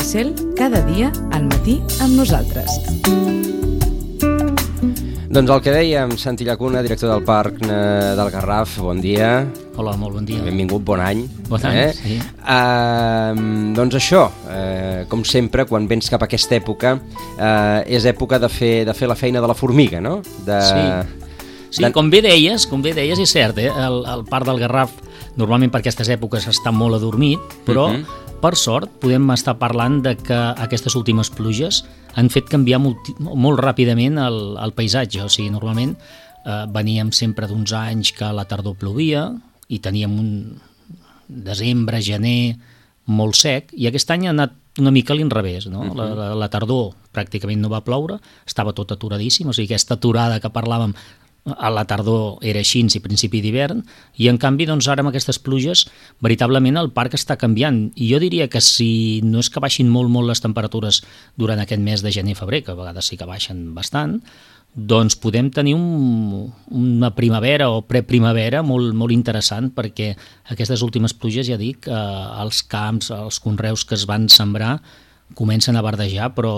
Maricel, cada dia al matí amb nosaltres. Doncs el que dèiem, Santi Llacuna, director del Parc del Garraf, bon dia. Hola, molt bon dia. Benvingut, bon any. Bon any, sí. Doncs això, com sempre, quan vens cap a aquesta època, és època de fer la feina de la formiga, no? Sí, com bé deies, és cert, el Parc del Garraf normalment per aquestes èpoques està molt adormit, però per sort podem estar parlant de que aquestes últimes pluges han fet canviar molt ràpidament el paisatge. O sigui, normalment veníem sempre d'uns anys que a la tardor plovia i teníem un desembre, gener molt sec, i aquest any ha anat una mica a l'inrevés, no? La tardor pràcticament no va ploure, estava tot aturadíssim, o sigui, aquesta aturada que parlàvem a la tardor era així i principi d'hivern, i en canvi doncs ara amb aquestes pluges veritablement el parc està canviant, i jo diria que si no és que baixin molt les temperatures durant aquest mes de gener-febrer, que a vegades sí que baixen bastant, doncs podem tenir una primavera o preprimavera molt interessant, perquè aquestes últimes pluges, ja dic, els camps, els conreus que es van sembrar comencen a verdejar, però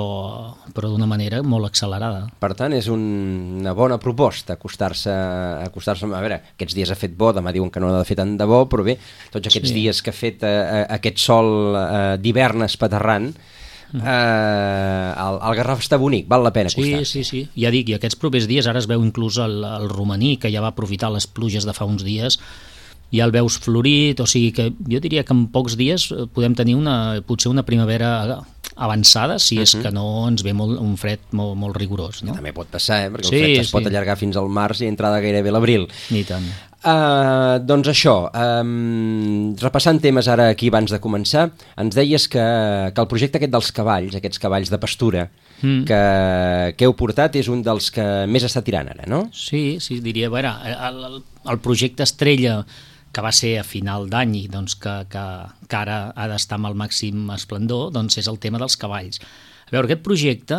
d'una manera molt accelerada. Per tant, és una bona proposta acostar-se. A veure, aquests dies ha fet bo, demà diuen que no ha de fer tant de bo, però bé, tots aquests dies que ha fet aquest sol d'hivern espaterrant, el Garraf està bonic, val la pena acostar-se. Sí, ja dic, i aquests propers dies, ara es veu inclús el romaní, que ja va aprofitar les pluges de fa uns dies, ja el veus florit, o sigui que jo diria que en pocs dies podem tenir potser una primavera avançada, si és que no ens ve un fred molt rigorós, no? Que també pot passar, perquè el fred es pot allargar fins al març i entrada gairebé a l'abril. I tant. Doncs això, repassant temes ara aquí abans de començar, ens deies que el projecte aquest dels cavalls, aquests cavalls de pastura que heu portat, és un dels que més està tirant ara, no? Sí, diria, a veure, el projecte estrella que va ser a final d'any i doncs, que ara ha d'estar amb el màxim esplendor, doncs és el tema dels cavalls. A veure, aquest projecte,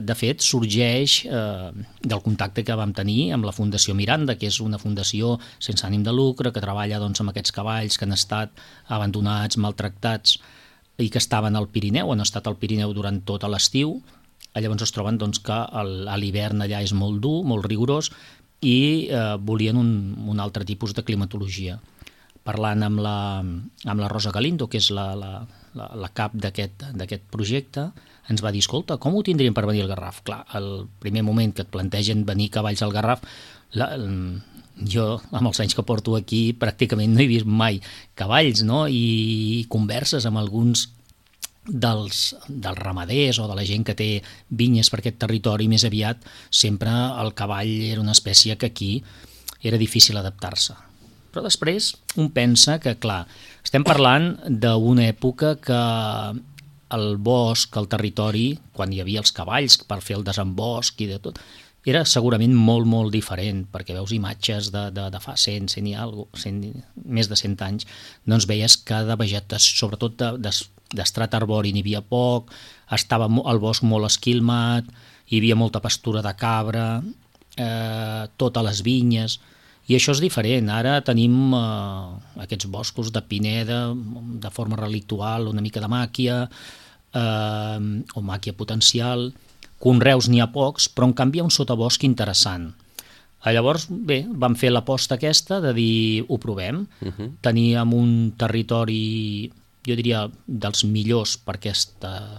de fet, sorgeix del contacte que vam tenir amb la Fundació Miranda, que és una fundació sense ànim de lucre, que treballa doncs, amb aquests cavalls que han estat abandonats, maltractats i que estaven al Pirineu, han estat al Pirineu durant tot l'estiu. Llavors es troben doncs, que a l'hivern allà és molt dur, molt rigorós, i volien un altre tipus de climatologia. Parlant amb la Rosa Galindo, que és la cap d'aquest projecte, ens va dir, escolta, com ho tindríem per venir al Garraf? Clar, el primer moment que et plantegen venir cavalls al Garraf, jo, amb els anys que porto aquí, pràcticament no he vist mai cavalls, no? I converses amb alguns dels ramaders o de la gent que té vinyes per aquest territori, més aviat sempre el cavall era una espècie que aquí era difícil adaptar-se. Però després un pensa que, clar, estem parlant d'una època que el bosc, el territori, quan hi havia els cavalls per fer el desembosc i de tot, era segurament molt diferent, perquè veus imatges de fa 100 i més de 100 anys, doncs veies que de vegetació, sobretot d'estrat arbori n'hi havia poc, estava el bosc molt esquilmat, hi havia molta pastura de cabra, totes les vinyes, i això és diferent. Ara tenim aquests boscos de pineda, de forma relictual, una mica de màquia, o màquia potencial, conreus n'hi ha pocs, però en canvi hi ha un sotabosc interessant. Llavors, bé, vam fer l'aposta aquesta de dir, ho provem, teníem un territori, jo diria, dels millors per aquesta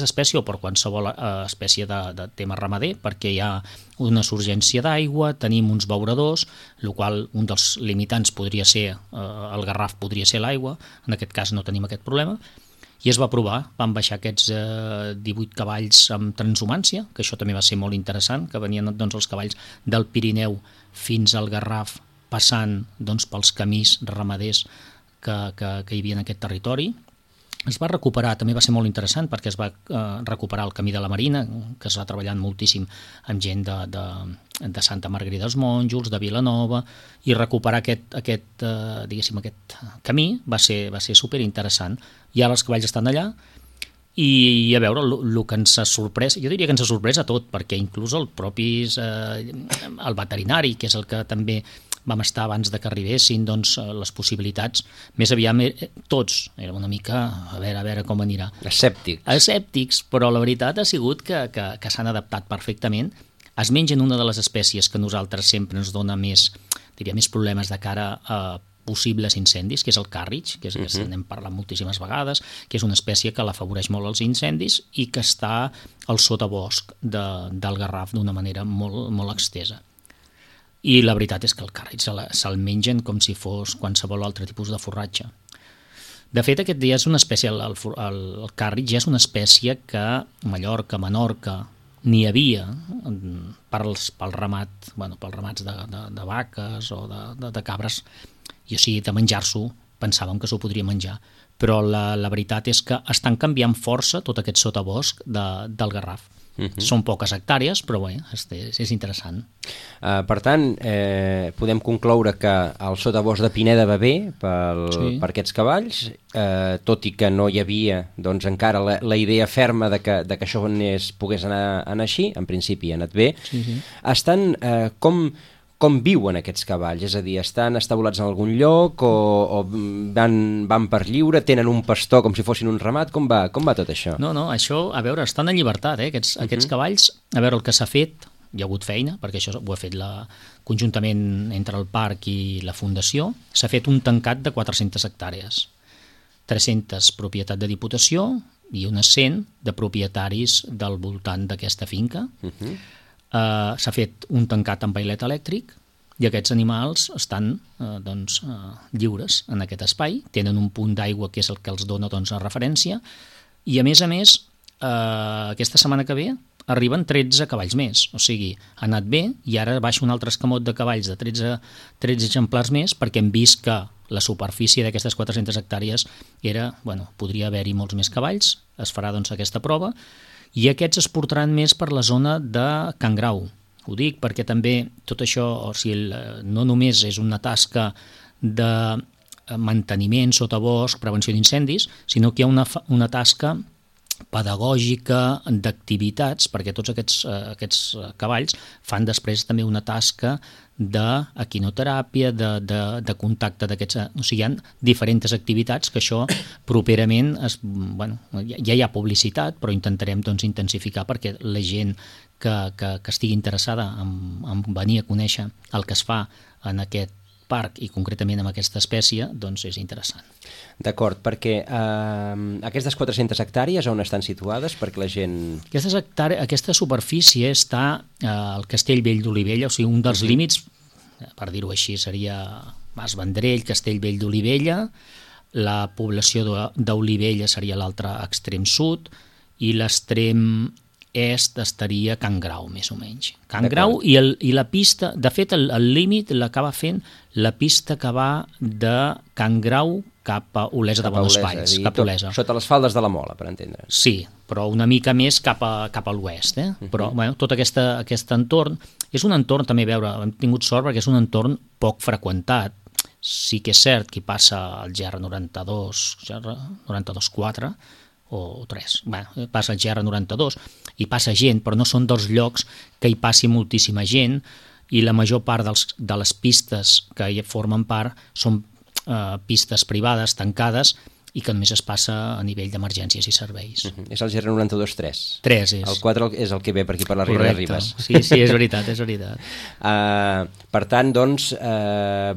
espècie o per qualsevol espècie de tema ramader, perquè hi ha una surgència d'aigua, tenim uns beuradors, el qual un dels limitants podria ser, el Garraf podria ser l'aigua, en aquest cas no tenim aquest problema, i es va provar, van baixar aquests 18 cavalls amb transhumància, que això també va ser molt interessant, que venien doncs, els cavalls del Pirineu fins al Garraf, passant doncs, pels camins ramaders que hi havia en aquest territori. Es va recuperar, també va ser molt interessant, perquè es va recuperar el camí de la Marina, que es va treballant moltíssim amb gent de Santa Margarida dels Monjos, de Vilanova, i recuperar aquest camí va ser superinteressant. I ara els cavalls estan allà, i a veure, el que ens ha sorprès, jo diria que ens ha sorprès a tot, perquè inclús el veterinari, que és el que també vam estar abans de que arribessin, doncs les possibilitats, més aviat tots, era una mica a veure com anirà. Escèptics, però la veritat ha sigut que s'han adaptat perfectament. Es mengen una de les espècies que a nosaltres sempre ens dona més problemes de cara a possibles incendis, que és el càrrig, que n'hem parlat moltíssimes vegades, que és una espècie que l'afavoreix molt als incendis i que està al sotabosc del Garraf d'una manera molt, molt extesa. I la veritat és que el càrrig se'l mengen com si fos qualsevol altre tipus de forratge. De fet, aquest dia és una espècie, el càrrig ja és una espècie que a Mallorca, Menorca, n'hi havia pels ramats de vaques o de cabres, i o sigui, de menjar-s'ho, pensàvem que s'ho podria menjar, però la veritat és que estan canviant força tot aquest sotabosc del Garraf. Són poques hectàrees, però bé, és interessant. Per tant, podem concloure que el sotabosc de Pineda va bé per aquests cavalls, tot i que no hi havia doncs, encara la idea ferma de que això pogués anar així, en principi ha anat bé. Estan com viuen aquests cavalls? És a dir, estan establats en algun lloc o van per lliure, tenen un pastor com si fossin un ramat? Com va tot això? No, això, a veure, estan en llibertat, aquests cavalls. A veure, el que s'ha fet, hi ha hagut feina, perquè això ho ha fet conjuntament entre el parc i la fundació, s'ha fet un tancat de 400 hectàrees. 300 propietat de Diputació i unes 100 de propietaris del voltant d'aquesta finca. S'ha fet un tancat amb vailet elèctric i aquests animals estan lliures en aquest espai, tenen un punt d'aigua que és el que els dona referència i a més, aquesta setmana que ve arriben 13 cavalls més, o sigui, ha anat bé i ara baixa un altre escamot de cavalls de 13 exemplars més perquè hem vist que la superfície d'aquestes 400 hectàrees podria haver-hi molts més cavalls, es farà aquesta prova i aquests es portaran més per la zona de Can Grau. Ho dic perquè també tot això, no només és una tasca de manteniment, sotabosc, prevenció d'incendis, sinó que hi ha una tasca pedagògica d'activitats, perquè tots aquests cavalls fan després també una tasca d'equinoteràpia, de contacte d'aquests... O sigui, hi ha diferents activitats que això properament... ja hi ha publicitat, però intentarem intensificar perquè la gent que estigui interessada en venir a conèixer el que es fa en aquest parc i concretament amb aquesta espècie, doncs és interessant. D'acord, perquè aquestes 400 hectàrees on estan situades perquè la gent... Aquesta superfície està al Castellvell d'Olivella, o sigui, un dels límits, per dir-ho així, seria Mas Vendrell, Castellvell d'Olivella, la població d'Olivella seria l'altre extrem sud i l'extrem est estaria Can Grau, més o menys. Can Grau i la pista, de fet el límit l'acaba fent la pista que va de Can Grau cap a Olesa de Bones Valls, cap a Olesa. Sota les faldes de la Mola, per entendre. Sí, però una mica més cap a l'oest. Però tot aquest entorn és un entorn, també, hem tingut sort perquè és un entorn poc freqüentat. Sí que és cert que hi passa el GR92, GR92-4, o 3, passa el GR92 i passa gent, però no són dels llocs que hi passi moltíssima gent i la major part de les pistes que hi formen part són pistes privades, tancades i que només es passa a nivell d'emergències i serveis. És el GR92-3. 3 és. El 4 és el que ve per aquí per la Riera de Ribes. Sí, és veritat, és veritat. Per tant, doncs,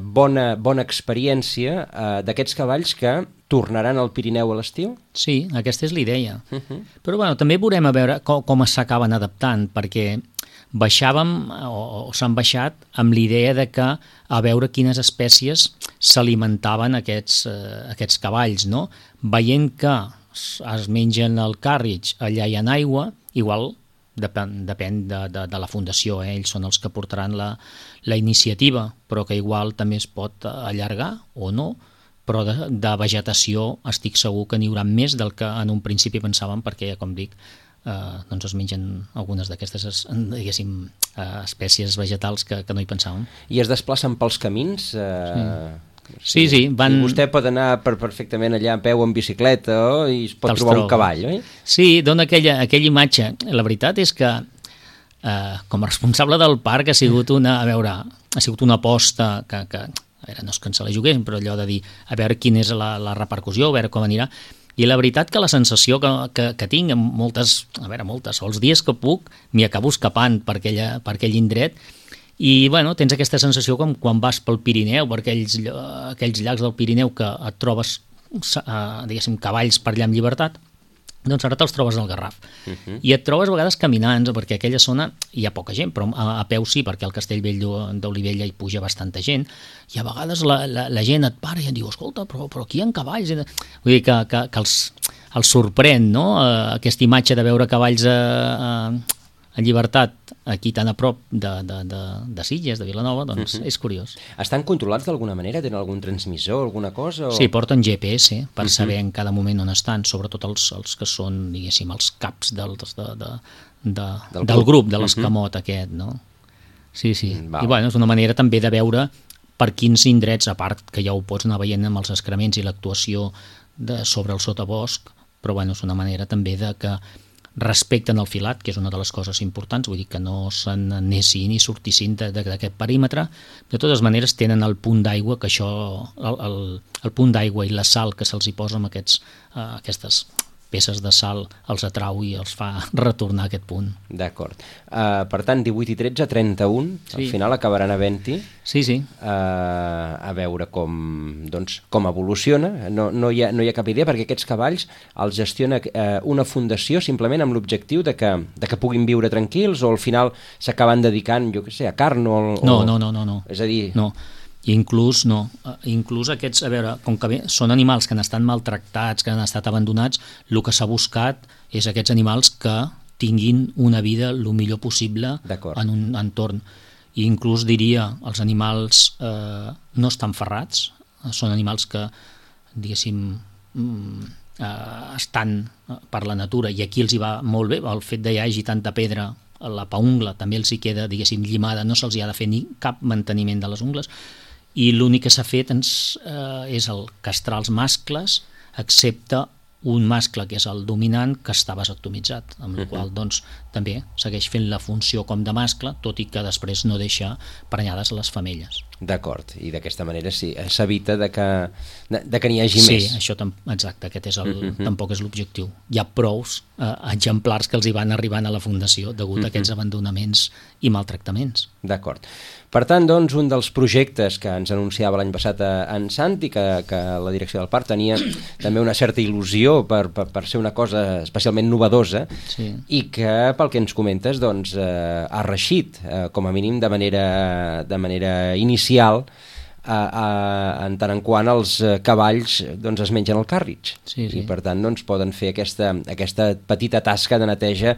bona experiència d'aquests cavalls que tornaran al Pirineu a l'estiu? Sí, aquesta és la idea. Però també veurem a veure com s'acaben adaptant, perquè baixàvem o s'han baixat amb l'idea de que a veure quines espècies s'alimentaven aquests cavalls, no? Veient que es mengen el càrrig, allà hi ha aigua, igual depèn de la fundació, ells són els que portaran la iniciativa, però que igual també es pot allargar o no, però de vegetació estic segur que n'hi haurà més del que en un principi pensàvem, perquè, com dic, doncs es mengen algunes d'aquestes, diguéssim, espècies vegetals que no hi pensàvem. I es desplacen pels camins? Sí. I vostè pot anar perfectament allà a peu en bicicleta i es pot trobar un cavall, oi? Sí, dona aquella imatge. La veritat és que com a responsable del parc ha sigut una aposta que a veure, no és que ens la juguem, però allò de dir a veure quina és la repercussió, a veure com anirà. I la veritat que la sensació que tinc en moltes, els dies que puc, m'hi acabo escapant per aquell indret. I bueno, tens aquesta sensació com quan vas pel Pirineu, per aquells llacs del Pirineu que et trobes, diguéssim, cavalls per allà amb llibertat, doncs ara te'ls trobes al Garraf. I et trobes a vegades caminant, perquè a aquella zona hi ha poca gent, però a peu sí, perquè al Castellvell d'Olivella hi puja bastanta gent, i a vegades la gent et para i et diu, escolta, però aquí hi ha cavalls. Vull dir que els sorprèn, no?, aquesta imatge de veure cavalls en llibertat aquí tan a prop de Sitges, de Vilanova, doncs és curiós. Estan controlats d'alguna manera? Tenen algun transmissor, alguna cosa? Sí, porten GPS per saber en cada moment on estan, sobretot els que són, diguéssim, els caps del grup, de l'escamot aquest, no? Sí. I bueno, és una manera també de veure per quins indrets, a part que ja ho pots anar veient amb els excrements i l'actuació sobre el sotabosc, però bueno, és una manera també de que respecten el filat, que és una de les coses importants, vull dir que no se n'anessin i sortissin d'aquest perímetre. De totes maneres tenen el punt d'aigua, que això, el punt d'aigua i la sal que se'ls hi posa amb aquestes peces de sal els atrau i els fa retornar a aquest punt. D'acord. Per tant, 18 i 13, 31, al final acabaran havent-hi. Sí. A veure com evoluciona. No hi ha cap idea, perquè aquests cavalls els gestiona una fundació simplement amb l'objectiu de que puguin viure tranquils, o al final s'acaben dedicant, jo què sé, a carn o... No. És a dir... No. Inclús aquests, a veure, com que són animals que han estat maltractats, que han estat abandonats, el que s'ha buscat és aquests animals que tinguin una vida el millor possible en un entorn. I inclús diria, els animals no estan ferrats, són animals que, diguéssim, estan per la natura, i aquí els hi va molt bé, el fet que hi hagi tanta pedra, la paungla també els hi queda, diguéssim, llimada, no se'ls hi ha de fer ni cap manteniment de les ungles, i l'únic que s'ha fet és el castrar els mascles, excepte un mascle que és el dominant, que està vasectomitzat, amb la qual doncs també segueix fent la funció com de mascle, tot i que després no deixa prenyades les femelles. D'acord, i d'aquesta manera sí, s'evita de que n'hi hagi més. Sí, això exacte, aquest és tampoc és l'objectiu. Hi ha prous exemplars que els hi van arribant a la fundació degut a aquests abandonaments i maltractaments. D'acord. Per tant, doncs, un dels projectes que ens anunciava l'any passat en Santi, que la direcció del parc tenia també una certa il·lusió per ser una cosa especialment novedosa, i que, pel que ens comentes, doncs, ha reeixit, com a mínim de manera inicial, en tant en quant els cavalls doncs, es mengen el càrritx. I per tant doncs, poden fer aquesta petita tasca de neteja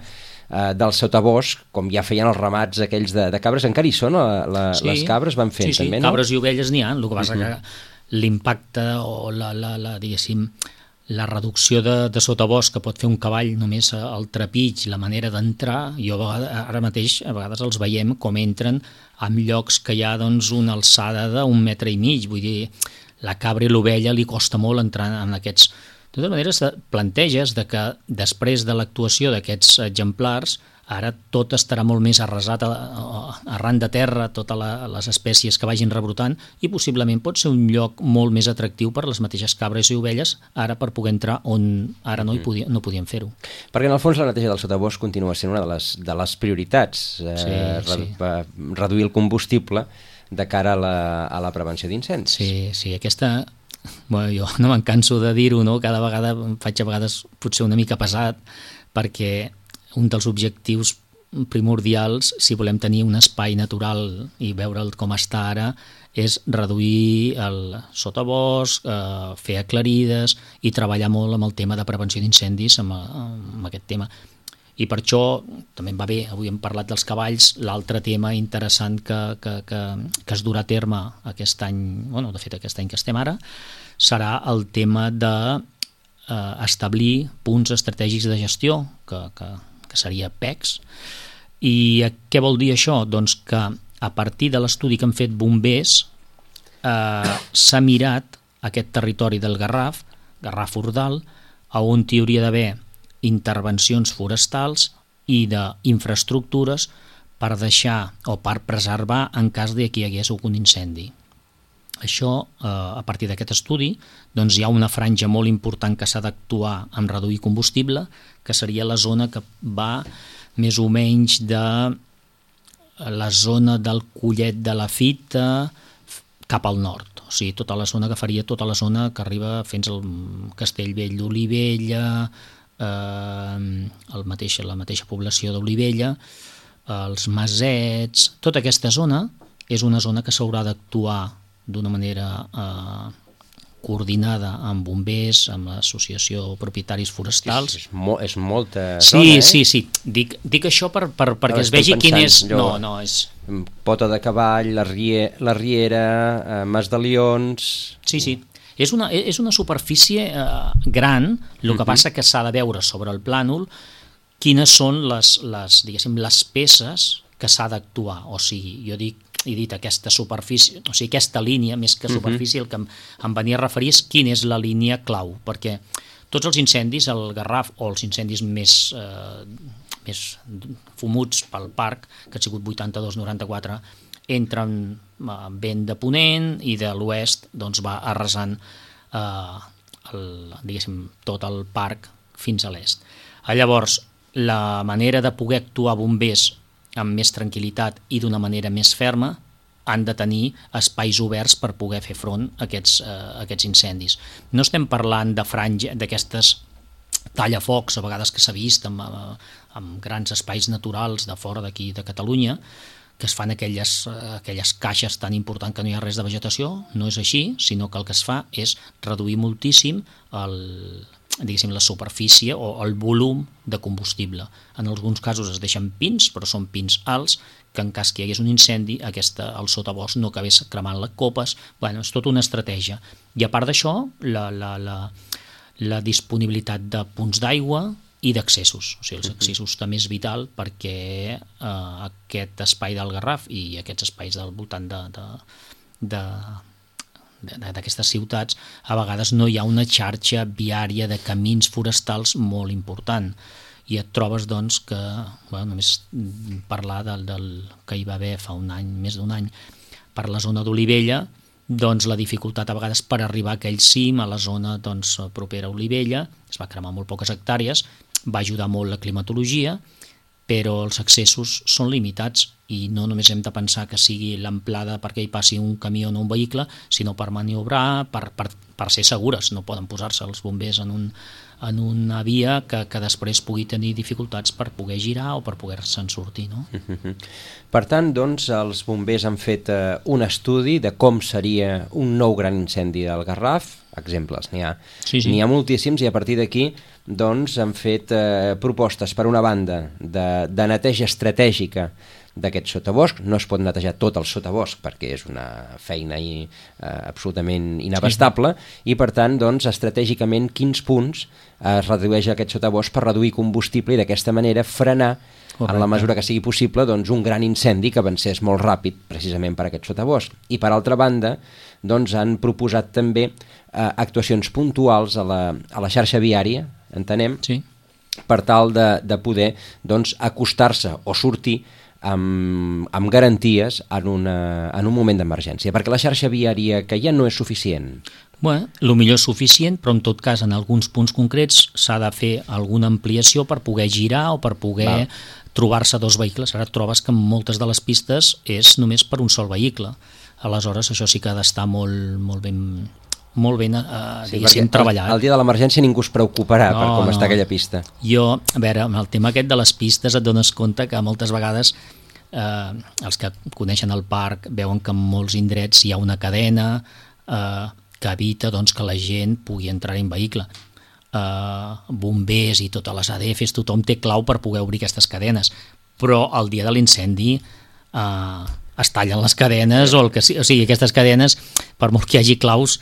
del sotabosc, com ja feien els ramats aquells de cabres. Encara hi són les cabres, van fent també, no? Cabres i ovelles n'hi ha, el que passa que l'impacte o diguéssim, la reducció de sotabosc que pot fer un cavall només al trepig, la manera d'entrar, ara mateix a vegades els veiem com entren en llocs que hi ha doncs, una alçada d'1,5 metres, vull dir, la cabra i l'ovella li costa molt entrar en aquests... De totes maneres, planteges que després de l'actuació d'aquests exemplars, ara tot estarà molt més arrasat arran de terra, totes les espècies que vagin rebrotant, i possiblement pot ser un lloc molt més atractiu per les mateixes cabres i ovelles, ara per poder entrar on ara no podien fer-ho. Perquè en el fons la neteja del sotabosc continua sent una de les prioritats, reduir el combustible de cara a la prevenció d'incendis. Sí, aquesta... Bueno, jo no me'n canso de dir-ho, no? Cada vegada em faig a vegades potser una mica pesat, perquè un dels objectius primordials, si volem tenir un espai natural i veure'l com està ara, és reduir el sotabosc, fer aclarides i treballar molt amb el tema de prevenció d'incendis, amb aquest tema. I per això també em va bé, avui hem parlat dels cavalls, l'altre tema interessant que es durà a terme aquest any, bueno, de fet aquest any que estem ara, serà el tema d'establir punts estratègics de gestió, que seria PECs. I què vol dir això? Doncs que a partir de l'estudi que han fet bombers s'ha mirat aquest territori del Garraf Ordal, on hi hauria d'haver intervencions forestals i d'infraestructures per deixar o per preservar en cas de que hi hagués algun incendi. Això, a partir d'aquest estudi, doncs hi ha una franja molt important que s'ha d'actuar en reduir combustible, que seria la zona que va més o menys de la zona del Collet de la Fita cap al nord. O sigui, tota la zona que faria tota la zona que arriba fins al Castellvell d'Olivella, la mateixa població d'Olivella, els Masets. Tota aquesta zona és una zona que s'haurà d'actuar d'una manera coordinada amb bombers, amb l'associació de propietaris forestals. És molta zona, Sí. Dic això perquè es vegi quin és... No, és... Pota de Cavall, la Riera, Mas de Lions... Sí. És una superfície gran, el que passa que s'ha de veure sobre el plànol quines són les peces que s'ha d'actuar. O sigui, he dit aquesta superfície, o sigui, aquesta línia, més que superfície, el que em venia a referir és quina és la línia clau, perquè tots els incendis, el Garraf, o els incendis més fumuts pel parc, que han sigut 82-94, entren vent de ponent i de l'oest doncs va arrasant tot el parc fins a l'est. Llavors, la manera de poder actuar bombers amb més tranquil·litat i d'una manera més ferma han de tenir espais oberts per poder fer front a aquests incendis. No estem parlant de franja, d'aquestes tallafocs a vegades que s'ha vist amb grans espais naturals de fora d'aquí de Catalunya, que es fan aquelles caixes tan importants que no hi ha res de vegetació. No és així, sinó que el que es fa és reduir moltíssim la superfície o el volum de combustible. En alguns casos es deixen pins, però són pins alts, que en cas que hi hagués un incendi, el sotabosc no acabés cremant les copes. Bueno, és tota una estratègia. I a part d'això, la disponibilitat de punts d'aigua i d'accessos. O sigui, els accessos també és vital perquè aquest espai del Garraf i aquests espais del voltant d'aquestes ciutats, a vegades no hi ha una xarxa viària de camins forestals molt important. I et trobes doncs que, només parlar del que hi va haver fa un any, més d'un any, per la zona d'Olivella, doncs la dificultat a vegades per arribar a aquell cim, a la zona propera a Olivella, es va cremar molt poques hectàrees, va ajudar molt la climatologia, però els accessos són limitats i no només hem de pensar que sigui l'amplada perquè hi passi un camió o un vehicle, sinó per maniobrar, per ser segures. No poden posar-se els bombers en una via que després pugui tenir dificultats per poder girar o per poder-se'n sortir. No? Per tant, doncs, els bombers han fet un estudi de com seria un nou gran incendi del Garraf. Exemples, n'hi ha. Sí. N'hi ha moltíssims i a partir d'aquí doncs, han fet propostes, per una banda, de neteja estratègica d'aquest sotabosc. No es pot netejar tot el sotabosc perquè és una feina absolutament inabastable i per tant, doncs, estratègicament quins punts es redueix aquest sotabosc per reduir combustible i d'aquesta manera frenar en la mesura que sigui possible doncs, un gran incendi que avancés molt ràpid precisament per aquest sotabosc. I per altra banda doncs, han proposat també actuacions puntuals a la xarxa viària, entenem, sí, per tal de poder doncs, acostar-se o sortir amb garanties en un moment d'emergència, perquè la xarxa viària que ja no és suficient. Bueno, el millor és suficient, però en tot cas en alguns punts concrets s'ha de fer alguna ampliació per poder girar o per poder trobar-se dos vehicles. Ara et trobes que en moltes de les pistes és només per un sol vehicle. Aleshores això sí que ha d'estar molt ben treballat. El dia de l'emergència ningú es preocuparà per com està aquella pista. Jo, a veure, amb el tema aquest de les pistes et dones compte que moltes vegades els que coneixen el parc veuen que en molts indrets hi ha una cadena que evita doncs, que la gent pugui entrar en vehicle. Bombers i totes les ADFs, tothom té clau per poder obrir aquestes cadenes, però el dia de l'incendi es tallen les cadenes o sigui, aquestes cadenes, per molt que hi hagi claus,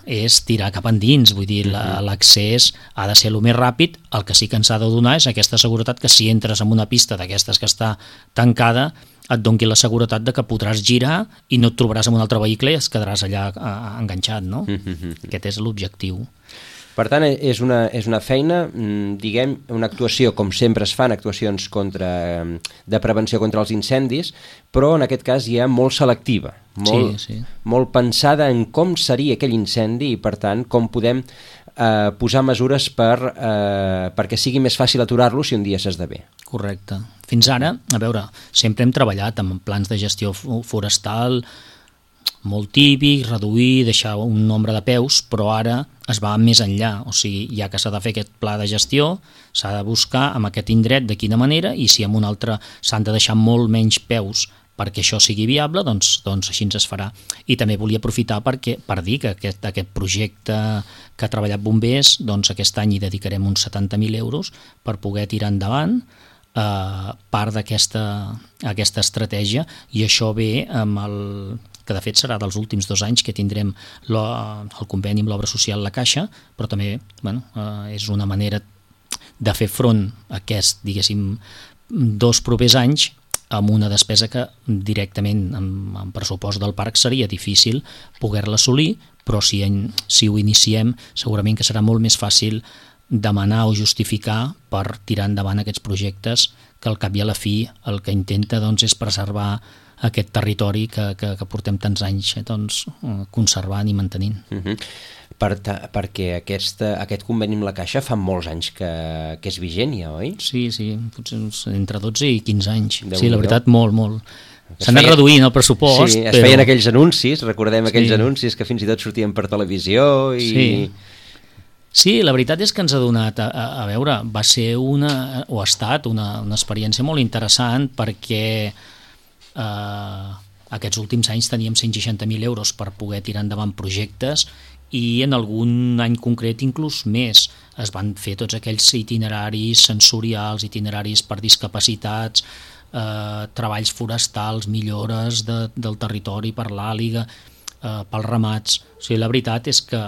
és tirar cap endins, vull dir, l'accés ha de ser el més ràpid. El que sí que ens ha de donar és aquesta seguretat que si entres en una pista d'aquestes que està tancada, et doni la seguretat de que podràs girar i no et trobaràs en un altre vehicle i es quedaràs allà enganxat, no? Aquest és l'objectiu. Per tant, és una feina, diguem, una actuació, com sempre es fan, actuacions de prevenció contra els incendis, però en aquest cas ja molt selectiva, molt pensada en com seria aquell incendi i, per tant, com podem posar mesures perquè sigui més fàcil aturar-lo si un dia s'esdevé. Correcte. Fins ara, a veure, sempre hem treballat amb plans de gestió forestal molt típic, reduir, deixar un nombre de peus, però ara es va més enllà, o sigui, ja que s'ha de fer aquest pla de gestió, s'ha de buscar amb aquest indret de quina manera, i si amb un altre s'han de deixar molt menys peus perquè això sigui viable, doncs així ens es farà. I també volia aprofitar per dir que aquest projecte que ha treballat Bombers, doncs aquest any hi dedicarem uns 70.000 euros per poder tirar endavant part d'aquesta estratègia, i això ve amb que de fet serà dels últims 2 anys que tindrem el conveni amb l'obra social La Caixa, però també és una manera de fer front a aquest, diguéssim, 2 propers anys amb una despesa que directament en pressupost del parc seria difícil poder-la assolir, però si ho iniciem segurament que serà molt més fàcil demanar o justificar per tirar endavant aquests projectes que al cap i a la fi el que intenta és preservar aquest territori que portem tants anys conservant i mantenint. Perquè aquest conveni amb la Caixa fa molts anys que és vigent ja, oi? Sí, potser entre 12 i 15 anys. Sí, la veritat, molt. S'han anat reduint el pressupost. Sí, es feien aquells anuncis, recordem aquells anuncis que fins i tot sortien per televisió i... Sí, la veritat és que ens ha donat, a veure, va ser ha estat una experiència molt interessant perquè aquests últims anys teníem 160.000 euros per poder tirar endavant projectes i en algun any concret inclús més. Es van fer tots aquells itineraris sensorials, itineraris per discapacitats, treballs forestals, millores del territori per l'àliga, pels ramats. O sigui, la veritat és que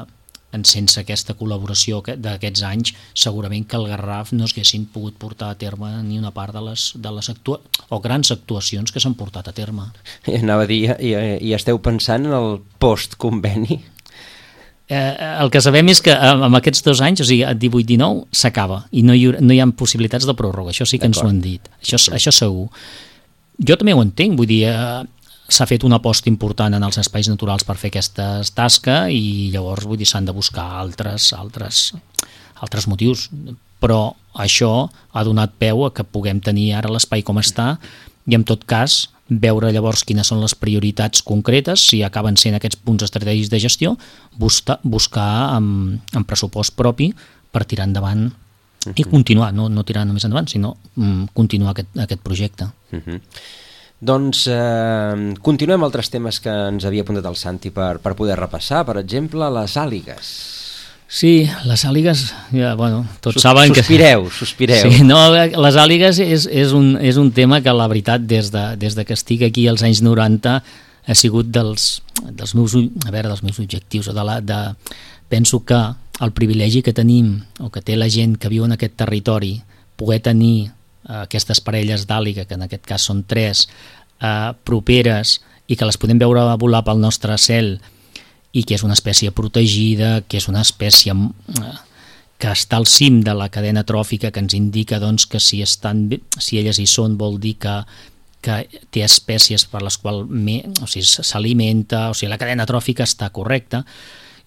sense aquesta col·laboració d'aquests anys segurament que el Garraf no s'haguessin pogut portar a terme ni una part de les grans actuacions que s'han portat a terme. Anava a dir, i esteu pensant en el post-conveni? El que sabem és que amb aquests 2 anys, o sigui, 18-19, s'acaba i no hi ha possibilitats de pròrroga, això sí que ens ho han dit, això segur. Jo també ho entenc, vull dir, s'ha fet una aposta important en els espais naturals per fer aquesta tasca i llavors vull dir s'han de buscar altres motius, però això ha donat peu a que puguem tenir ara l'espai com està i en tot cas veure llavors quines són les prioritats concretes, si acaben sent aquests punts estratègics de gestió, buscar amb pressupost propi per tirar endavant i continuar, no tirar només endavant, sinó continuar aquest projecte. Doncs continuem altres temes que ens havia apuntat el Santi per poder repassar, per exemple, les àligues. Sí, les àligues, tots saben que... Sospireu. Sí, les àligues és un tema que la veritat des de que estic aquí als anys 90 ha sigut dels meus objectius. Penso que el privilegi que tenim o que té la gent que viu en aquest territori, poder tenir aquestes parelles d'àliga, que en aquest cas són 3, properes i que les podem veure volar pel nostre cel i que és una espècie protegida, que és una espècie que està al cim de la cadena tròfica, que ens indica que si elles hi són vol dir que té espècies per les quals s'alimenta, o sigui, la cadena tròfica està correcta.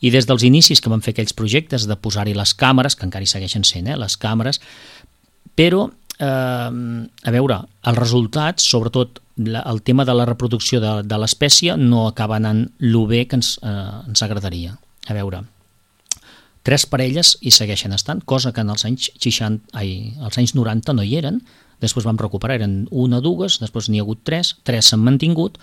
I des dels inicis que van fer aquells projectes de posar-hi les càmeres, que encara hi segueixen sent les càmeres, però a veure, els resultats, sobretot el tema de la reproducció de l'espècie, no acaba anant lo bé que ens agradaria. A veure, 3 parelles hi segueixen estant, cosa que en els anys 90 no hi eren, després vam recuperar, eren 1 o 2, després n'hi ha hagut 3 s'han mantingut,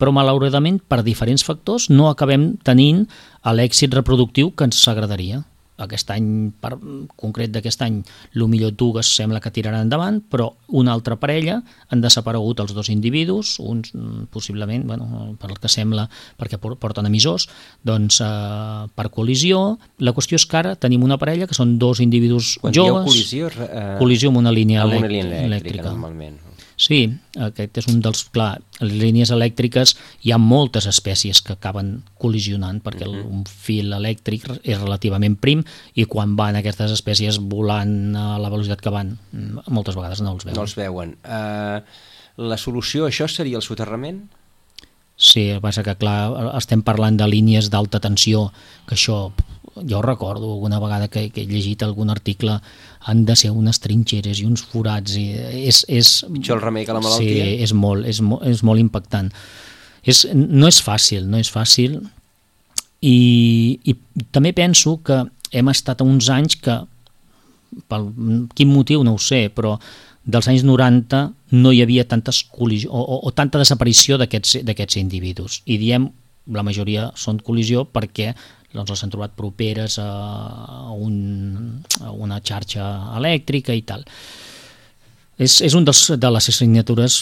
però malauradament per diferents factors no acabem tenint l'èxit reproductiu que ens agradaria. Aquest any, concret d'aquest any, millor 2 sembla que tiraran endavant, però una altra parella han desaparegut els 2 individus, uns possiblement, per el que sembla, perquè porten emissors, doncs per col·lisió. La qüestió és que ara tenim una parella que són 2 individus joves. Quan dieu col·lisió amb una línia elèctrica. Normalment. Sí, aquest és un dels... Clar, les línies elèctriques hi ha moltes espècies que acaben col·lisionant perquè un fil elèctric és relativament prim i quan van aquestes espècies volant a la velocitat que van, moltes vegades no els veuen. No els veuen. La solució a això seria el soterrament? Sí, el que passa que, clar, estem parlant de línies d'alta tensió, que això... Jo recordo alguna vegada que he llegit algun article, han de ser unes trinxeres i uns forats, i és pitjor el remei que la malaltia? Sí, és molt impactant. No és fàcil, i també penso que hem estat uns anys que, per quin motiu no ho sé, però dels anys 90 no hi havia tantes col·lisions o tanta desaparició d'aquests individus, i diem la majoria són col·lisió perquè doncs les han trobat properes a una xarxa elèctrica i tal. És un de les assignatures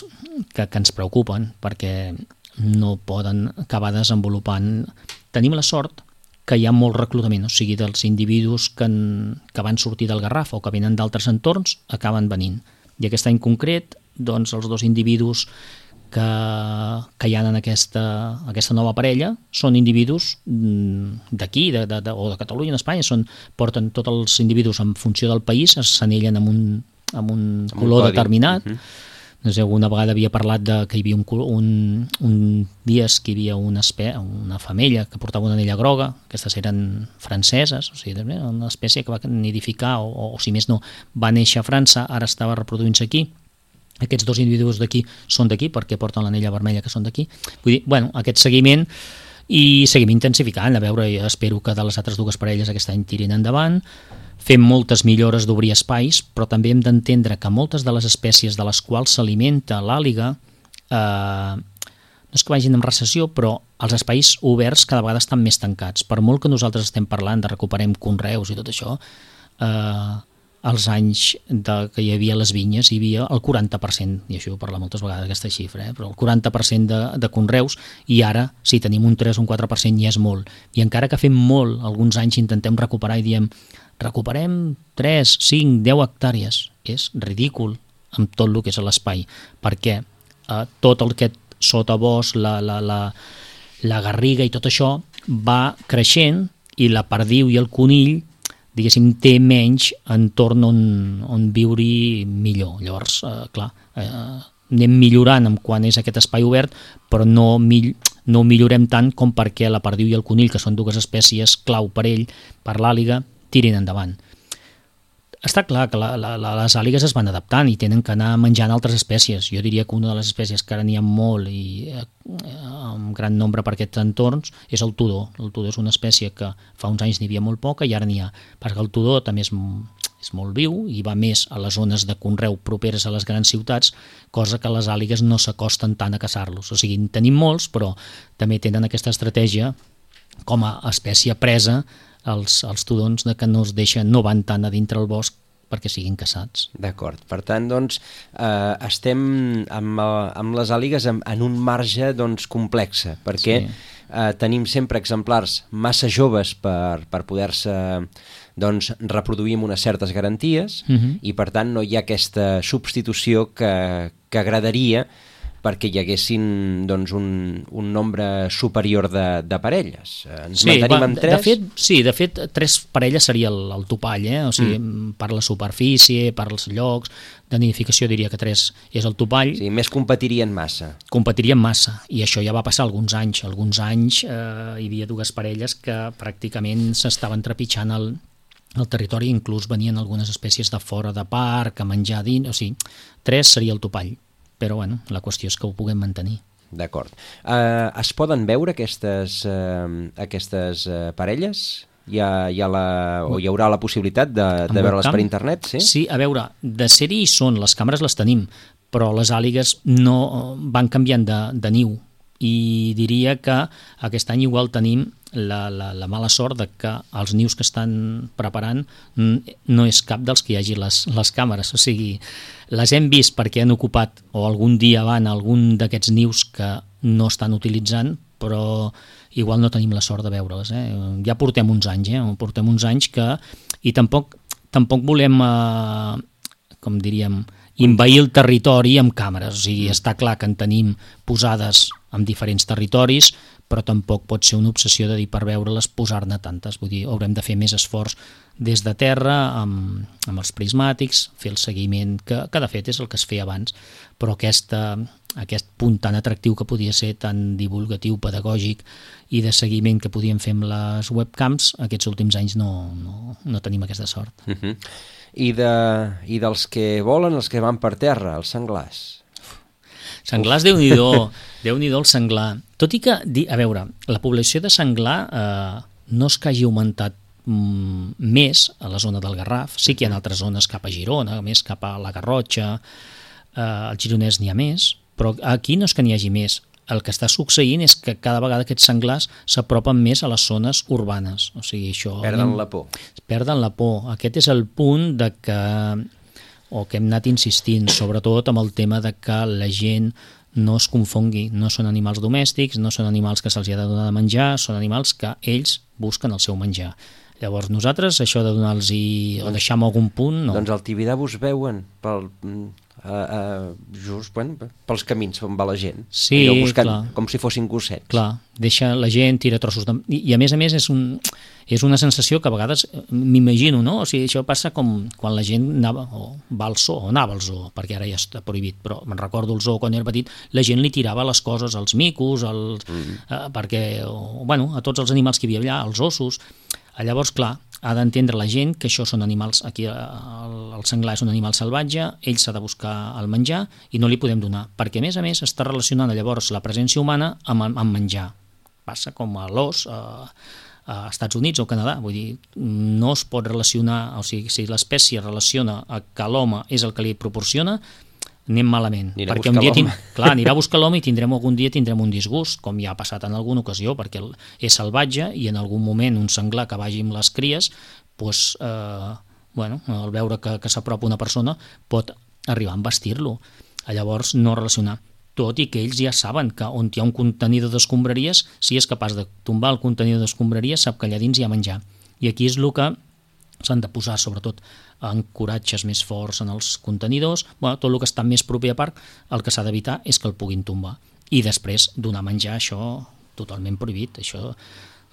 que ens preocupen perquè no poden acabar desenvolupant. Tenim la sort que hi ha molt reclutament, o sigui, dels individus que van sortir del Garraf o que venen d'altres entorns acaben venint. I aquest any concret, doncs, els 2 individus que hi ha en aquesta nova parella són individus d'aquí o de Catalunya, d'Espanya, porten tots els individus en funció del país, s'anellen amb un color determinat. No sé, alguna vegada havia parlat que hi havia un dies que hi havia una femella que portava una anella groga, aquestes eren franceses, o sigui, una espècie que va nidificar o si més no, va néixer a França, ara estava reproduint-se aquí. Aquests 2 individus d'aquí són d'aquí perquè porten l'anella vermella que són d'aquí. Vull dir, bueno, aquest seguiment, i seguim intensificant, a veure, espero que de les altres 2 parelles aquest any tirin endavant. Fem moltes millores d'obrir espais, però també hem d'entendre que moltes de les espècies de les quals s'alimenta l'àliga no és que vagin en recessió, però els espais oberts cada vegada estan més tancats. Per molt que nosaltres estem parlant de recuperem conreus i tot això, als anys que hi havia les vinyes hi havia el 40%, i això ho parla moltes vegades aquesta xifra, però el 40% de conreus, i ara si tenim un 3 o un 4% ja és molt, i encara que fem molt, alguns anys intentem recuperar i diem recuperem 3, 5, 10 hectàrees, és ridícul amb tot el que és l'espai, perquè tot el que sotabosc, la garriga i tot això va creixent i la perdiu i el conill diguéssim, té menys entorn on viure millor. Llavors, clar, anem millorant en quan és aquest espai obert, però no millorem tant com perquè la perdiu i el conill, que són 2 espècies clau per ell, per l'àliga, tirin endavant. Està clar que les àligues es van adaptant i tenen que anar menjant altres espècies. Jo diria que una de les espècies que ara n'hi ha molt i en gran nombre per aquests entorns és el tudó. El tudó és una espècie que fa uns anys n'hi havia molt poca i ara n'hi ha. Perquè el tudó també és molt viu i va més a les zones de conreu properes a les grans ciutats, cosa que les àligues no s'acosten tant a caçar-los. O sigui, tenim molts, però també tenen aquesta estratègia com a espècie presa els tudons de que no van tant a dintre el bosc perquè siguin caçats. D'acord. Per tant, doncs, estem amb les àligues en un marge complex, perquè tenim sempre exemplars massa joves per poder-se reproduir amb unes certes garanties i, per tant, no hi ha aquesta substitució que agradaria perquè hi haguessin un nombre superior de parelles. Ens mantenim amb 3? De fet, 3 parelles seria el topall, o sigui, per la superfície, per els llocs de nidificació diria que 3 és el topall. Sí, més competirien massa. Competirien massa, i això ja va passar alguns anys. Alguns anys hi havia 2 parelles que pràcticament s'estaven trepitjant el territori, inclús venien algunes espècies de fora de parc a menjar dins, o sigui, 3 seria el topall. Però bueno, la qüestió és que ho puguem mantenir. D'acord. Es poden veure aquestes parelles? Hi haurà la possibilitat de veure-les per internet? Sí, a veure, de ser-hi hi són, les càmeres les tenim, però les àligues no van canviant de niu, i diria que aquest any igual tenim la mala sort de que els nius que estan preparant no és cap dels que hi hagi les càmeres, o sigui, les hem vist perquè han ocupat o algun dia van a algun d'aquests nius que no estan utilitzant, però igual no tenim la sort de veure-les. Ja portem uns anys, que i tampoc volem, com diríem, envair el territori amb càmeres. O sigui, està clar que en tenim posades en diferents territoris, però tampoc pot ser una obsessió de dir per veure-les posar-ne tantes. Vull dir, haurem de fer més esforç des de terra amb els prismàtics, fer el seguiment, que de fet és el que es feia abans, però aquest punt tan atractiu que podia ser, tan divulgatiu, pedagògic i de seguiment que podíem fer amb les webcams, aquests últims anys no tenim aquesta sort. I dels que volen, els que van per terra, els senglars? Senglars, Déu-n'hi-do el senglar. Tot i que, a veure, la població de senglar no és que hagi augmentat més a la zona del Garraf, sí que hi ha altres zones cap a Girona, més cap a la Garrotxa, al Gironès n'hi ha més, però aquí no és que n'hi hagi més. El que està succeint és que cada vegada aquests senglars s'apropen més a les zones urbanes. O sigui, això... Perden la por. Perden la por. Aquest és el punt de que hem anat insistint, sobretot amb el tema de que la gent no es confongui. No són animals domèstics, no són animals que se'ls ha de donar de menjar, són animals que ells busquen el seu menjar. Llavors nosaltres, això de donar-los o deixar en algun punt, no. Doncs al Tibidabo us veuen just pels camins on va la gent. Sí, buscant, clar. Com si fossin gossets. Clar, deixa la gent, tira trossos de... I a més és una sensació que a vegades m'imagino, no? O sigui, això passa com quan la gent anava al zoo, perquè ara ja està prohibit, però me'n recordo el zoo quan era petit, la gent li tirava les coses als micos, perquè, a tots els animals que hi havia allà, els ossos. Llavors, clar, ha d'entendre la gent que això són animals, aquí el senglar és un animal salvatge, ell s'ha de buscar el menjar i no li podem donar, perquè a més està relacionant llavors la presència humana amb menjar. Passa com a l'os a Estats Units o Canadà, vull dir, no es pot relacionar, o sigui, si l'espècie relaciona que l'home és el que li proporciona, anem malament. Perquè un dia anirà a buscar l'home i algun dia tindrem un disgust, com ja ha passat en alguna ocasió, perquè és salvatge i en algun moment un senglar que vagi amb les cries, al veure que s'apropa una persona, pot arribar a embestir-lo. Llavors no relacionar. Tot i que ells ja saben que on hi ha un contenidor d'escombraries, si és capaç de tombar el contenidor d'escombraries, sap que allà dins hi ha menjar. I aquí és el que s'han de posar, sobretot, ancoratges més forts en els contenidors, tot el que està més proper a parc, el que s'ha d'evitar és que el puguin tombar. I després donar menjar, això totalment prohibit, això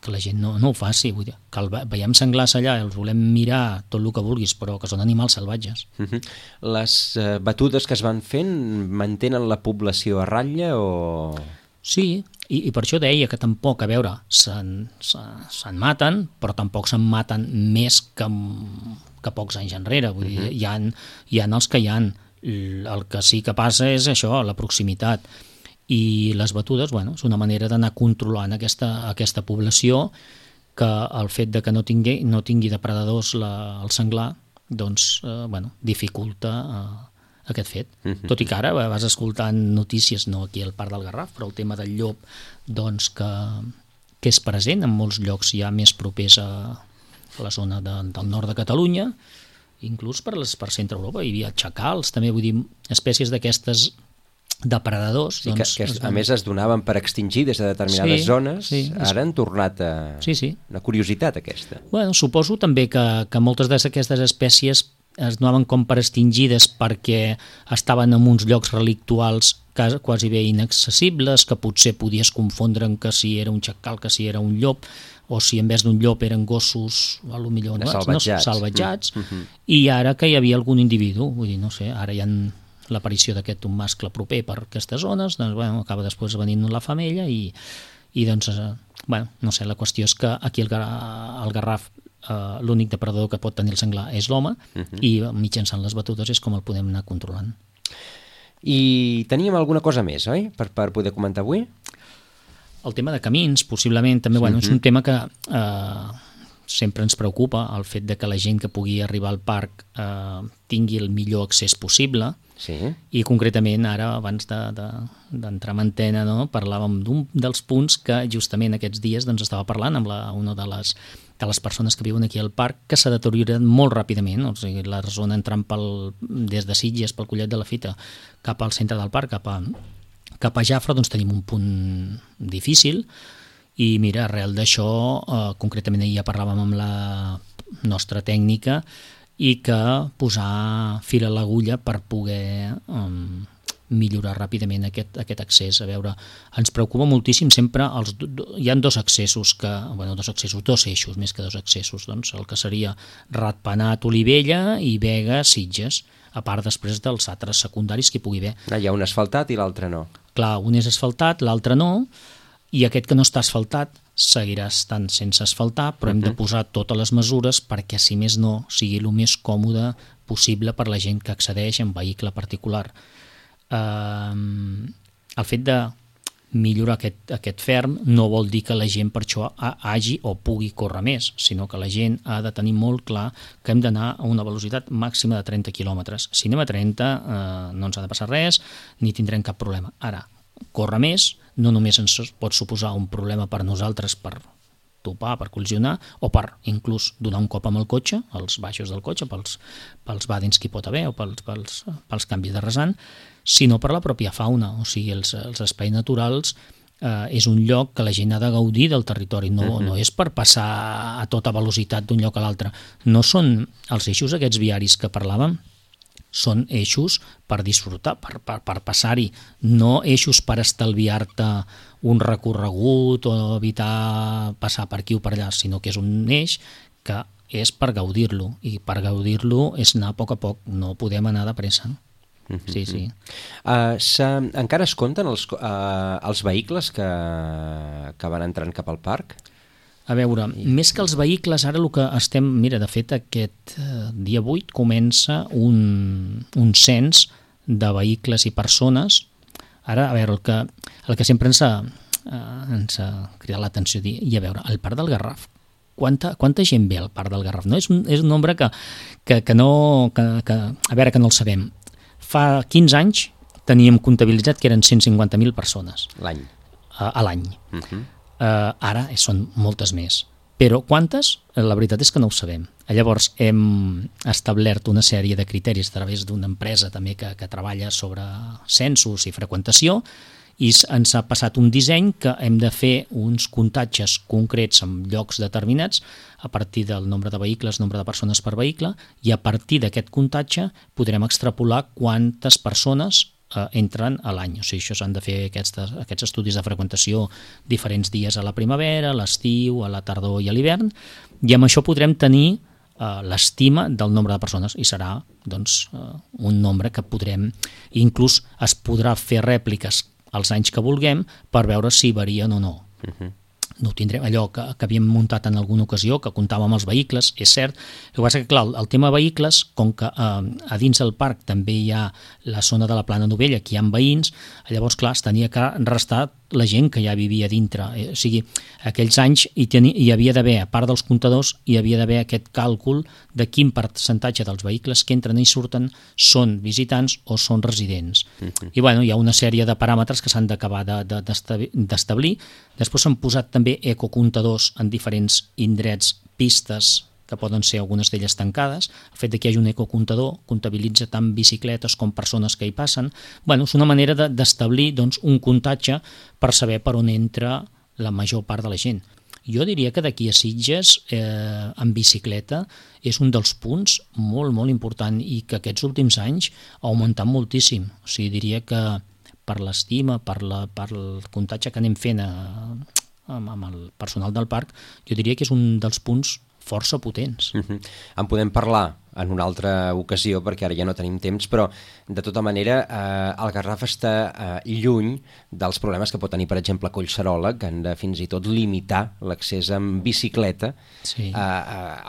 que la gent no ho faci, vull dir, que veiem senglars allà, els volem mirar tot el que vulguis, però que són animals salvatges. Les batudes que es van fent mantenen la població a ratlla o...? Sí, i per això deia que tampoc, a veure, se'n maten, però tampoc se'n maten més que pocs anys enrere. Vull dir, hi ha els que hi ha. El que sí que passa és això, la proximitat. I les batudes, és una manera d'anar controlant aquesta població, que el fet de que no tingui depredadors el senglar, doncs, dificulta aquest fet. Tot i que ara vas escoltant notícies, no aquí al Parc del Garraf, però el tema del llop, doncs, que és present en molts llocs ja més propers a la zona del nord de Catalunya, inclús per centre Europa. Hi havia xacals, també, vull dir, espècies d'aquestes depredadors. Sí, que a més es donaven per extingir des de determinades zones, ara han tornat a... Una curiositat aquesta. Suposo també que moltes d'aquestes espècies es donaven com per extingides perquè estaven en uns llocs relictuals quasi bé inaccessibles, que potser podies confondre que si era un xacal, que si era un llop, o si en vez d'un llop eren gossos salvatjats, i ara que hi havia algun individu, vull dir, no sé, ara hi ha l'aparició d'aquest un mascle proper per aquestes zones, doncs acaba després venint la femella i doncs, no sé, la qüestió és que aquí al Garraf l'únic depredador que pot tenir el senglar és l'home i mitjançant les batudes és com el podem anar controlant. I teníem alguna cosa més, oi? Per poder comentar avui? El tema de camins, possiblement, també és un tema que sempre ens preocupa, el fet de que la gent que pugui arribar al parc tingui el millor accés possible. I concretament ara, abans d'entrar en antena, parlàvem d'un dels punts que justament aquests dies estava parlant amb una de les persones que viuen aquí al parc, que s'ha deteriorat molt ràpidament. O sigui, la zona entrant des de Sitges, pel Collet de la Fita, cap al centre del parc, cap a Jafre, doncs tenim un punt difícil. I mira, arrel d'això, concretament ahir ja parlàvem amb la nostra tècnica, i que posar fil a l'agulla per poder millorar ràpidament aquest accés. A veure, ens preocupa moltíssim sempre, hi ha dos accessos, dos eixos, més que dos accessos, doncs el que seria Ratpenat, Olivella i Vega, Sitges, a part després dels altres secundaris que hi pugui haver. Hi ha un asfaltat i l'altre no. Clar, un és asfaltat, l'altre no, i aquest que no està asfaltat seguirà estant sense asfaltar, però hem de posar totes les mesures perquè, si més no, sigui el més còmode possible per la gent que accedeix en vehicle particular. El fet de millorar aquest ferm no vol dir que la gent per això hagi o pugui córrer més, sinó que la gent ha de tenir molt clar que hem d'anar a una velocitat màxima de 30 quilòmetres. Si anem a 30 no ens ha de passar res ni tindrem cap problema. Ara, córrer més no només ens pot suposar un problema per nosaltres per topar, per col·lisionar, o per inclús donar un cop amb el cotxe, als baixos del cotxe, pels vàdins que hi pot haver o pels canvis de rasant, sinó per la pròpia fauna. O sigui, els espais naturals és un lloc que la gent ha de gaudir del territori, no és per passar a tota velocitat d'un lloc a l'altre. No són els eixos aquests viaris que parlàvem, són eixos per disfrutar, per passar-hi, no eixos per estalviar-te un recorregut o evitar passar per aquí o per allà, sinó que és un eix que és per gaudir-lo, i per gaudir-lo és anar a poc, no podem anar de pressa. Sí. Encara es compten els vehicles que van entrant cap al parc? A veure, més que els vehicles, ara el que estem... Mira, de fet, aquest dia 8 comença un cens de vehicles i persones. Ara, a veure, el que sempre ens ha cridat l'atenció, i a veure, al Parc del Garraf, quanta gent ve al Parc del Garraf? No? És un nombre que no el sabem. Fa 15 anys teníem comptabilitzat que eren 150.000 persones. L'any. A l'any. Ara són moltes més. Però quantes? La veritat és que no ho sabem. Llavors hem establert una sèrie de criteris a través d'una empresa també que treballa sobre censos i freqüentació, i ens ha passat un disseny que hem de fer uns comptatges concrets en llocs determinats a partir del nombre de vehicles, nombre de persones per vehicle, i a partir d'aquest comptatge podrem extrapolar quantes persones entren a l'any. O sigui, això s'han de fer aquests estudis de freqüentació diferents dies a la primavera, a l'estiu, a la tardor i a l'hivern, i amb això podrem tenir l'estima del nombre de persones, i serà doncs, un nombre que podrem, inclús es podrà fer rèpliques els anys que vulguem per veure si varien o no. No tindrem allò que havíem muntat en alguna ocasió, que comptàvem amb els vehicles, és cert. El que passa que, clar, el tema de vehicles, com que a dins del parc també hi ha la zona de la Plana Novella, que hi ha veïns, llavors, clar, es tenia que restar la gent que ja vivia dintre. O sigui, aquells anys hi havia d'haver, a part dels comptadors, hi havia d'haver aquest càlcul de quin percentatge dels vehicles que entren i surten són visitants o són residents. I bueno, hi ha una sèrie de paràmetres que s'han d'acabar d'establir. Després s'han posat també ecocomptadors en diferents indrets, pistes, que poden ser algunes d'elles tancades. El fet que hi hagi un ecocomptador comptabilitza tant bicicletes com persones que hi passen. Bueno, és una manera d'establir doncs, un comptatge per saber per on entra la major part de la gent. Jo diria que d'aquí a Sitges, en bicicleta, és un dels punts molt, molt important, i que aquests últims anys ha augmentat moltíssim. O sigui, diria que per l'estima, per el comptatge que anem fent amb el personal del parc, jo diria que és un dels punts força potents. En podem parlar en una altra ocasió, perquè ara ja no tenim temps, però de tota manera el Garraf està lluny dels problemes que pot tenir, per exemple, Collserola, que han de fins i tot limitar l'accés amb bicicleta a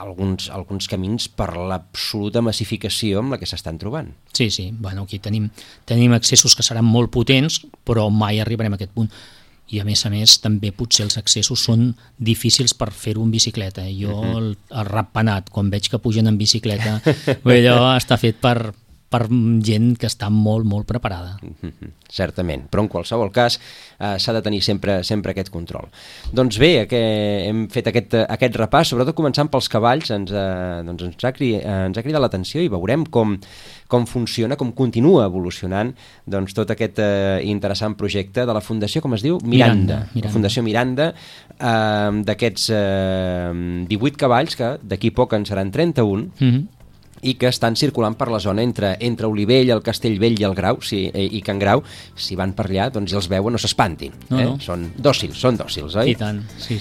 alguns camins per l'absoluta massificació amb la que s'estan trobant. Sí, bueno, aquí tenim accessos que seran molt potents, però mai arribarem a aquest punt. I a més, també potser els accessos són difícils per fer-ho en bicicleta. Jo, el Ratpenat, quan veig que pugen en bicicleta, allò està fet per gent que està molt, molt preparada. Certament, però en qualsevol cas s'ha de tenir sempre aquest control. Doncs bé, hem fet aquest repàs, sobretot començant pels cavalls, ens ha cridat l'atenció, i veurem com funciona, com continua evolucionant tot aquest interessant projecte de la Fundació, com es diu? Miranda. La Fundació Miranda, d'aquests 18 cavalls, que d'aquí poc en seran 31, i que estan circulant per la zona entre Olivell, el Castellvell i el Grau, i Can Grau. Si van per allà, doncs, i els veuen, no s'espantin. No. Són dòcils, oi? I tant, sí.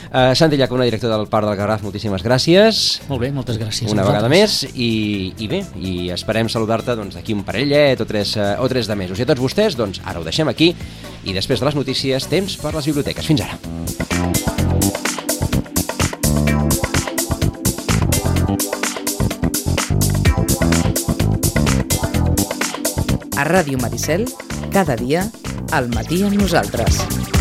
Santi Llacuna, director del Parc del Garraf, moltíssimes gràcies. Molt bé, moltes gràcies. Una vegada més, i bé, i esperem saludar-te d'aquí un parellet o tres de mesos. I a tots vostès, doncs, ara ho deixem aquí, i després de les notícies, temps per les biblioteques. Fins ara. A Ràdio Maricel, cada dia, al matí amb nosaltres.